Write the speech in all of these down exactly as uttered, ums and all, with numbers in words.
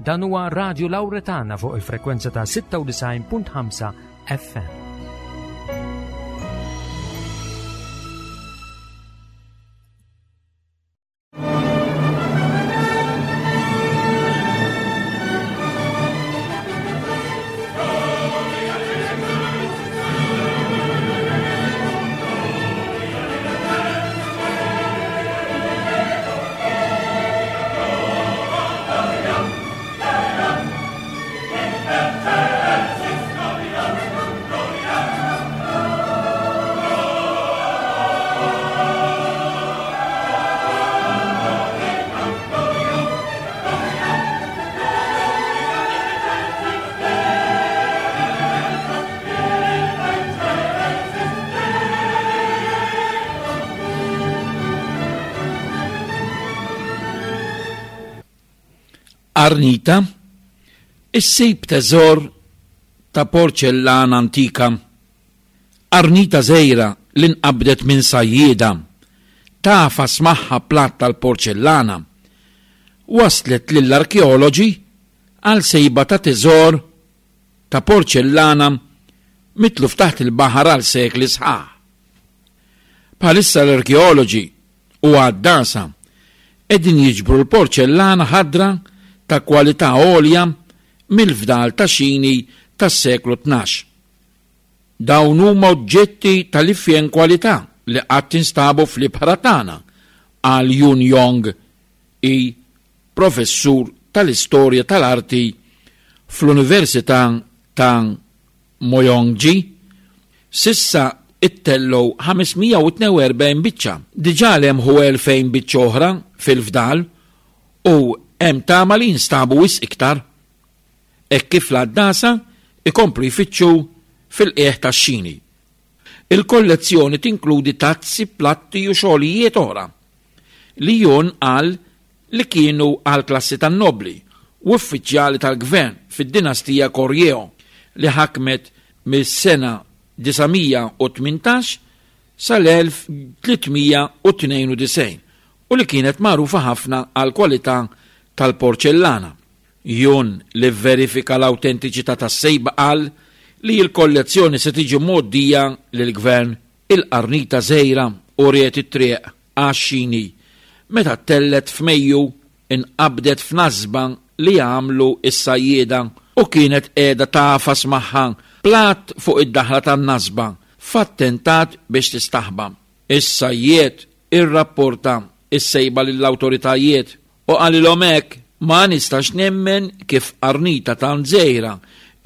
Dan huwa Radio Lauretana fuq il-frekwenza ta' sitta u disgħin punt ħamsa F M. Qarnita, issib teżor ta' porċellana antika. Qarnita żgħira li nqabdet minn sajjieda tagħfas magħha platt tal-porċellana waslet lill-arkeoloġi għal sejba ta' teżor ta' porċellana mitluf taħt il-baħar għal sekli sħaħ. Bħalissa l-arkeoloġi u għaddasa qegħdin jiġbru l-porċellana ħadra ta' kwalità għolja mill-fdal ta' xini tas-seklu tnax. Dawn huma oġġetti tal-ifjen kwalità li qatt instabu fl-ibħra tagħna, qal Jun Jong I, professur tal-istorja tal-arti fl-Università ta' Myongji. S'issa ittellgħu ħames mija u tnejn u erbgħin biċċa. Diġà lemħu elfejn biċċa oħra fil-fdal u hemm tama li jinstabu wisq iktar. Hekk kif l-għaddasa ikomplu jfittxu fil-qieħ tax-xini. Il-kollezzjoni tinkludi tazzi, platti u xogħlijiet oħra li Jun qal li kienu għal klassi tan-nobli u uffiċjali tal-gvern fid-dinastija Goryeo li ħakmet mis-sena disa' mija u tmintax sal-elf tliet mija u tnejn u disgħin u li kienet magħrufa ħafna għal kwalità tal-porċellana. Jun, li verifika l-autentiċità tas-sejba, qal li l-kollezzjoni se tiġi mgħoddija lill-gvern. Il-qarnita żgħira uriet it-triq għax-xini meta ttellgħet f'Mejju, inqabdet f'nasba li għamlu is-sajjieda u kienet qiegħda tagħfas magħha platt fuq id-daħla tan-nasba f'attentat biex tistaħba. Is-sajjied irrapporta is-sejba lill-awtoritajiet u qalilhom hekk: "Ma nistax nemmen kif qarnita tant żgħira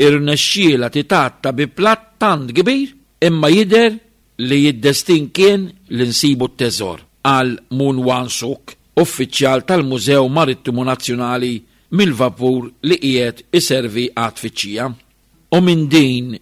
irnexxiela titgħatta bi platt tant kbir, imma jidher li d-destin kien li nsibu t-teżor", qal Moon Wan Suk, uffiċjal tal-Mużew Marittimu Nazzjonali mill-vapur li qiegħed iservi għat-tfittxija. U minn din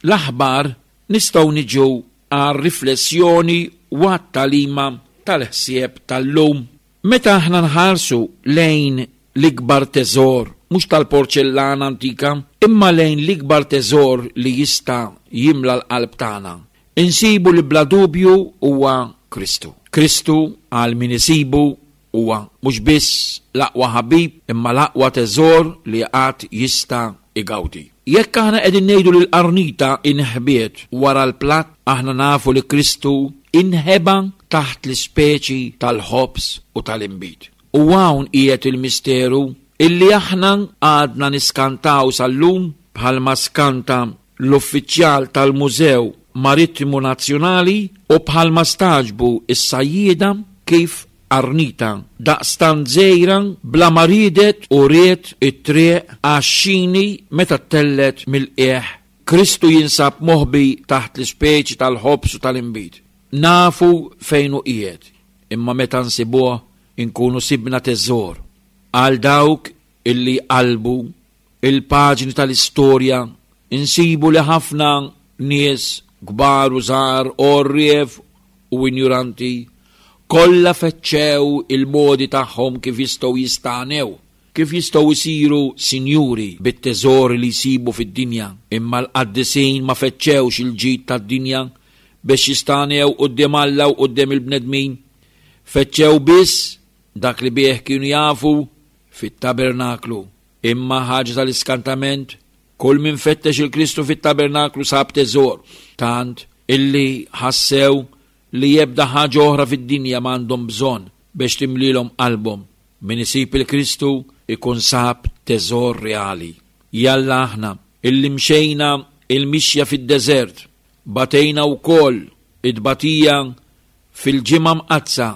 l-aħbar nistgħu niġu għal riflessjoni u għat-tagħlima tal-ħsieb tal-lum. Meta aħna nħarsu lejn l-ikbar teżor, mhux tal-porċellana antika, imma lejn l-ikbar teżor li jista' jimla l-qalb tagħna, insibu li bla dubju huwa Kristu. Kristu għal min isibu huwa mhux biss l-aqwa ħabib, imma l-aqwa teżor li qatt jista' igawdi. Jekk aħna qegħdin ngħidu li l-qarnita inħbiet wara l-platt, aħna nafu li Kristu inħeba taħt l-ispeċi tal-ħobż u tal-inbid. U hawn qiegħed il-misteru illi aħna għadna niskantaw sal-lum, bħalma skanta l-uffiċjal tal-Mużew Marittimu Nazzjonali u bħalma stagħġbu is-sajjieda kif qarnita daqstant żgħira bla ma riedet uriet it-triq għax-xini meta ttellgħet mill-qiegħ. Kristu jinsab moħbi taħt l-ispeċi tal-ħobż u tal-inbid. Nafu fejn hu qiegħed, imma meta nsibuh inkunu sibna teżor. Għal dawk illi qalbu il-paġni tal-istorja, insibu li ħafna nies kbar u żgħar, għorrief u injuranti, kollha fettxew il-modi tagħhom kif jistgħu jistagħnew, kif jistgħu jsiru sinjuri bit-teżori li jsibu fid-dinja. Imma l-qaddisin ma fettxewx il-ġid tad-dinja biex jistagħnew quddiem Alla u quddiem il-bnedmin. Fettxew biss dak li bih kienu jafu fit-tabernaklu. Imma ħaġa tal-iskantament, kull min fettex il-Kristu fit-tabernaklu sab teżor, tant illi ħassew li ebda ħaġa oħra fid-dinja m'għandhom bżonn biex timlilhom qalbhom. Min isib il-Kristu ikun sab teżor reali. Jalla aħna illi mxejna il-mixja fid-deżert, batejna wkoll it-tbatija fil-Ġimgħa Mqaddsa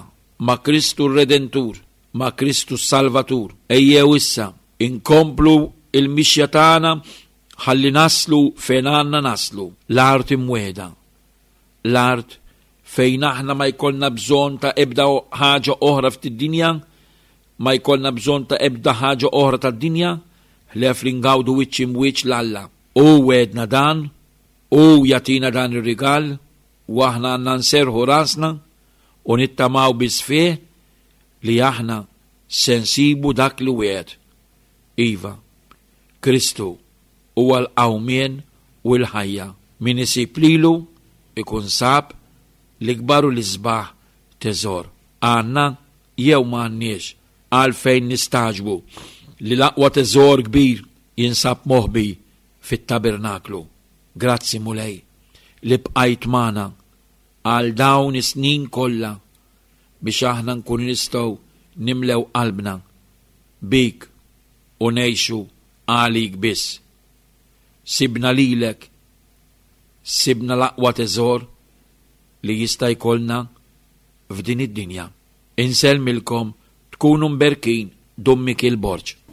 ma' Kristu r-Redentur, ma' Kristu s-Salvatur. Ejjew issa inkomplu il-mixja tagħna ħalli naslu fejn għandna naslu, l-art imwiegħda. L-art fejn aħna ma jkollna bżonn ta' ebda ħaġa oħra fid-dinja, ma jkollna bżonn ta' ebda ħaġa oħra tad-dinja, ħlief li ngawdu wiċċ imwiċċ 'l Alla. Hu wegħedna dan, hu jagħtina dan ir-rigal, u aħna għandna nserrħu rasna u nittamaw biss fih li aħna se nsibu dak li wiegħed. Iva, Kristu huwa l-qawmien u l-ħajja. Min isib lilu ikun sab l-ikbar u l-isbaħ teżor. Għandna jew ma għandniex għalfejn nistagħġbu li l-aqwa teżor kbir jinsab moħbi fit-tabernaklu. Grazzi, Mulej, li bqajt magħna għal dawn is-snin kollha biex aħna nkun nistgħu nimlew qalbna bik u ngħixu għalik biss. Sibna lilek, sibna l-aqwa teżor li jista' jkollna f'din id-dinja. Insellmilkom, tkunu mberkin. Dun Mikiel Borg.